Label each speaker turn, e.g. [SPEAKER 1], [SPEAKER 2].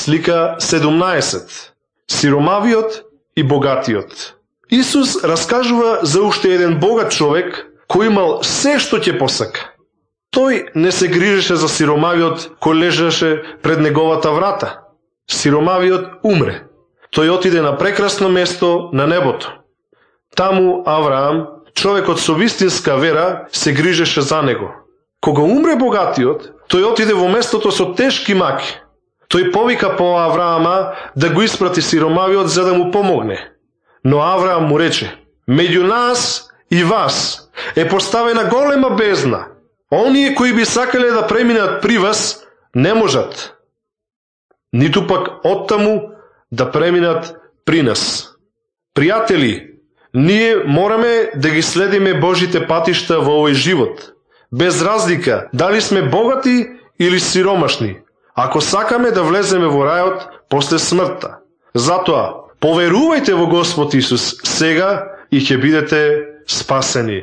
[SPEAKER 1] Слика 17. Сиромавиот и богатиот. Исус раскажува за уште еден богат човек кој имал се што ќе посака. Тој не се грижеше за сиромавиот кој лежеше пред неговата врата. Сиромавиот умре. Тој отиде на прекрасно место на небото. Таму Авраам, човекот со вистинска вера, се грижеше за него. Кога умре богатиот, тој отиде во местото со тешки маки. Тој повика по Авраама да го испрати сиромавиот за да му помогне. Но Авраам му рече: меѓу нас и вас е поставена голема бездна. Оние кои би сакале да преминат при вас, не можат. Ниту пак оттаму да преминат при нас. Пријатели, ние мораме да ги следиме Божите патишта во овој живот, без разлика дали сме богати или сиромашни, ако сакаме да влеземе во рајот после смртта. Затоа, поверувајте во Господ Исус сега и ќе бидете спасени.